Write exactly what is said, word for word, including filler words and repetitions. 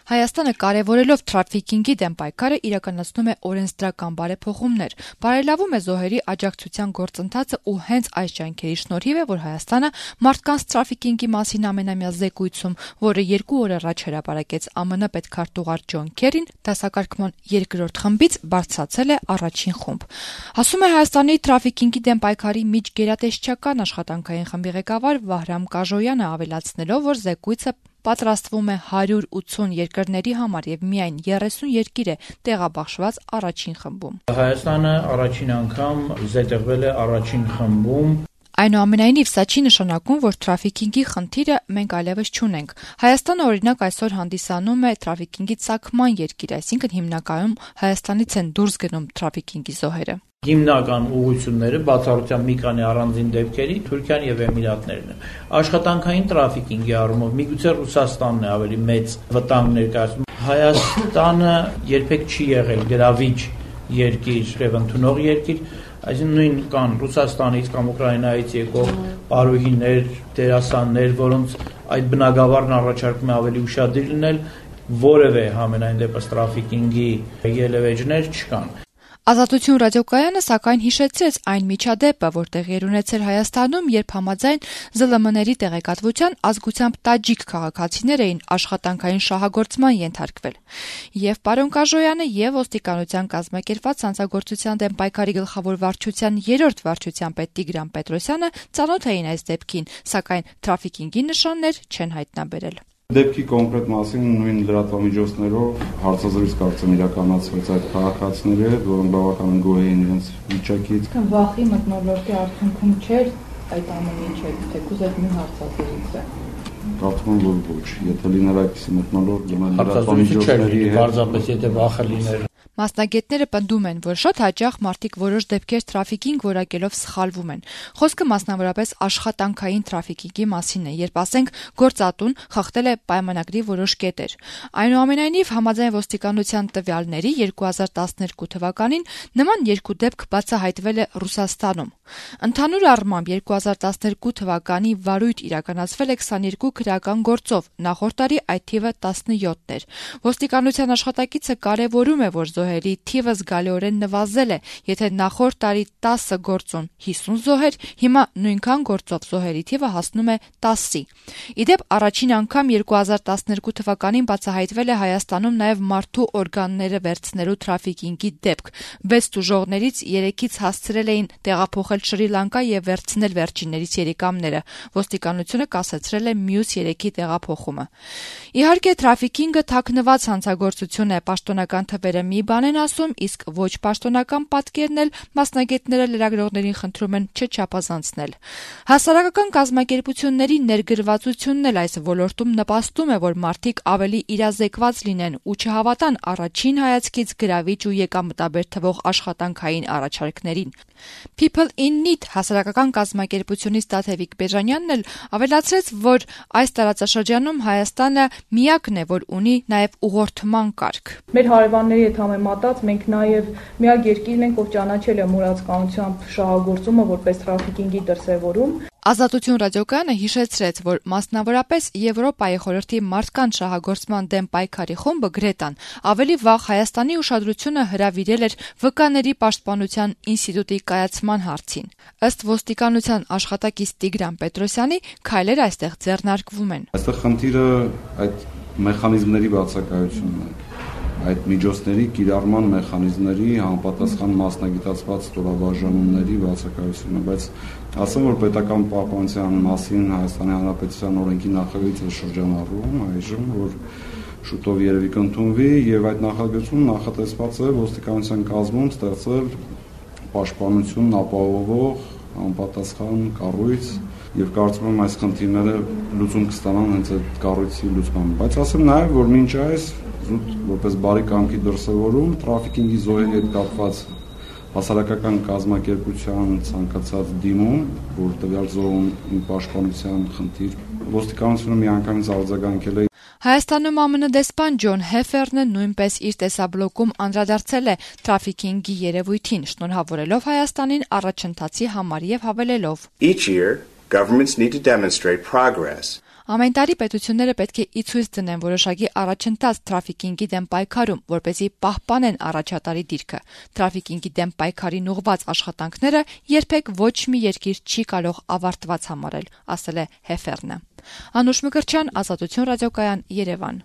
Հայաստանը կարևորելով թրաֆիքինգի դեմ պայքարը իրականացնում է օրենսդրական բարեփոխումներ, բարելավում է զոհերի աջակցության գործընթացը ու հենց այս ջանքերի շնորհիվ է, որ Հայաստանը մարդկանց թրաֆիքինգի մասին ամենամյա զեկույցում, որը երկու օր առաջ հրապարակեց ԱՄՆ պետքարտուղար Ջոն Քերին, դասակարգման երկրորդ խմբից բարձրացել է առաջին խումբ։ Ասում է Հայաստանի թրաֆիքինգի դեմ պայքարի միջգերատեսչական աշխատանքային խմբի ղեկավար Վահրամ Կաժոյանը, ավելացնելով, որ զեկույցը պատրաստվում է հարյուր ութուն երկրների համար եւ միայն երեսուն երկիր է տեղաբաշխված առաջին խմբում։ Հայաստանը առաջին անգամ զետեղվել է առաջին խմբում։ Այնուամենայնիվ, սա չի նշանակում, որ թրաֆիքինգի խնդիրը մենք այլևս չունենք։ Հայաստանը, օրինակ, այսօր հանդիսանում է թրաֆիքինգի ծագման երկիր, այսինքն հիմնականում Հայաստանից են դուրս գնում թրաֆիքինգի զոհերը։ Հիմնական ուղղությունները բացառությամբ մի քանի առանձին դեպքերի Թուրքիան եւ Էմիրատներն են։ Աշխատանքային թրաֆիքինգի առումով միգուցե Ռուսաստանն է ավելի մեծ վտանգ ներկայացնում։ Հայաստանը երբեք չի եղել գրավիչ երկիր եւ ընդունող երկիր, այսինքն նույն կան Ռուսաստանից կամ Ուկրաինայից եկող պարուհիներ, դերասաններ, որոնց այդ բնագավառն առաջարկում է ավելի ուշադիր լինել, որևէ համենայն դեպս թրաֆիքինգի ելևէջներ չկան։ Ազատություն ռադիոկայանը սակայն հիշեցրեց այն միջադեպը, որ տեղի էր ունեցել Հայաստանում, երբ համաձայն ԶԼՄ-ների տեղեկատվության ազգությամբ տաջիկ քաղաքացիներ էին աշխատանքային շահագործման ենթարկվել։ Եվ պարոն Կաժոյանը եւ ոստիկանության կազմակերպված հանցագործության դեմ պայքարի գլխավոր վարչության երրորդ վարչության պետ Տիգրան Պետրոսյանը ծանոթ էին այս դեպքին, սակայն թրաֆիքինգի նշաններ չեն հայտնաբերել։ Դեպքի կոնկրետ մասին նույն լրատվամիջոցներով հարցազրույց կարծեմ իրականացվեց այդ քաղաքացիների հետ, որոնք բավականին գոհ էին իրենց վիճակից։ Վախի մթնոլորտի արդյունքում չէր այդ ամեն ինչը, թեկուզ այդ մի հարցազրույցը։ Կարծում եմ, որ ոչ, եթե լիներ այդպիսի մթնոլորտ, ուրեմն լրատվամիջոցների պարզապես եթե վախը լիներ։ Մասնագետները պնդում են, որ շատ հաճախ մարդիկ որոշ դեպքեր թրաֆիքինգ որակելով սխալվում են։ Խոսքը մասնավորապես աշխատանքային թրաֆիքինգի մասին է, երբ ասենք գործատուն խախտել է պայմանագրի որոշ կետեր։ Այնուամենայնիվ, համաձայն ոստիկանության տվյալների երկու հազար տասներկու թվականին նման երկու դեպք բացահայտվել է Ռուսաստանում։ Ընդհանուր առմամբ երկու հազար տասներկու թվականի վարույթ իրականացվել է քսաներկու քրեական գործով, նախորդ տարի այդ թիվը տասնյոթ էր։ Ոստիկանության աշխատակիցը կարևորում է, որ զոհերի թիվը զգալիորեն նվազել է, եթե նախորդ տարի տասը գործոն հիսուն զոհեր, հիմա նույնքան գործով զոհերի թիվը հասնում է տասի։ Իդեպ առաջին անգամ երկու հազար տասներկու թվականին բացահայտվել է Հայաստանում նաև մարդու օրգանները վերցնելու թրաֆիքինգի դեպք։ վեց տուժողներից երեքից հասցրել էին տեղափոխել Շրի Լանկա եւ վերցնել վերջիններից երիկամները։ Ոստիկանությունը կասեցրել է մյուս երեքի տեղափոխումը։ Իհարկե, թրաֆիքինգը թաքնված հանցագործություն է, պաշտոնական թվերը մի բան են ասում, իսկ ոչ պաշտոնական պատկերն էլ մասնագետները լրագրողներին խնդրում են չչափազանցնել։ Հասարակական կազմակերպությունների ներգրավվածությունն էլ այս ոլորտում նպաստում է, որ մարդիկ ավելի իրազեկված լինեն ու չհավատան առաջին հայացքից գրավիչ ու եկամտաբեր թվող աշխատանքային առաջարկներին։ People in Need հասարակական կազմակերպությունից Տաթևիկ Բեժանյանն էլ ավելացրեց, որ այս տարածաշրջանում Հայաստանը միակն է, որ ունի նաև ուղղորդման կարգ։ Մեր հարևանների հետ համեմատած մենք նաև միակ երկիրն ենք, ով ճանաչել է մուրացկանությամբ շահագործումը որպես թրաֆիքինգի դրսևորում։ Ազատություն ռադիոկայանը հիշեցրեց, որ մասնավորապես Եվրոպայի խորհրդի մարդկանց շահագործման դեմ պայքարի խումբը Գրետան ավելի վաղ Հայաստանի ուշադրությունը հրավիրել էր վկաների պաշտպանության ինստիտուտի կայացման հարցին։ Ըստ ոստիկանության աշխատակից Տիգրան Պետրոսյանի, քայլեր այստեղ ձեռնարկվում են։ Այստեղ խնդիրը այդ մեխանիզմների բացակայությունն է, այդ միջոցների կիրառման մեխանիզմների համապատասխան մասնագիտացված ստորաբաժանումների բացակայությունը, բայց ասեմ, որ պետական պահպանության մասին Հայաստանի Հանրապետության օրենքի նախագծը շրջանառվում այժմ, որ շուտով երևի կընդունվի եւ այդ նախագծում նախատեսված է ոստիկանության կազմում ստեղծել պաշտպանությունն ապահովող համապատասխան կառույց եւ կարծում եմ այս խնդիրները լուծում կստանան հենց այդ կառույցի լուծմամբ, բայց ասեմ նաեւ, որ մինչ այս զուտ որպես բարի կամքի դրսևորում թրաֆիքինգի զոհերի հետ կապված հասարակական կազմակերպության ցանկացած դիմում, որ տվյալ զոհում պաշտպանության խնդիր ոստիկանությունը միանգամից արձագանքել է։ Հայաստանում ԱՄՆ դեսպան Ջոն Հեֆերնը նույնպես իր տեսաբլոկում անդրադարձել է թրաֆիքինգի երևույթին, շնորհավորելով Հայաստանին առաջընթացի համար եւ հավելելով. Each year, governments need to demonstrate progress. Ամեն տարի պետությունները պետք է ի ցույց դնեն որոշակի առաջընթաց թրաֆիքինգի դեմ պայքարում, որպեսզի պահպանեն առաջատարի դիրքը։ Թրաֆիքինգի դեմ պայքարին ուղղված աշխատանքները երբեք ոչ մի երկիր չի կարող ավարտված համարել, ասել է Հեֆերնը։ Անուշ Մկրտչյան, Ազատություն ռադիոկայան, Երևան։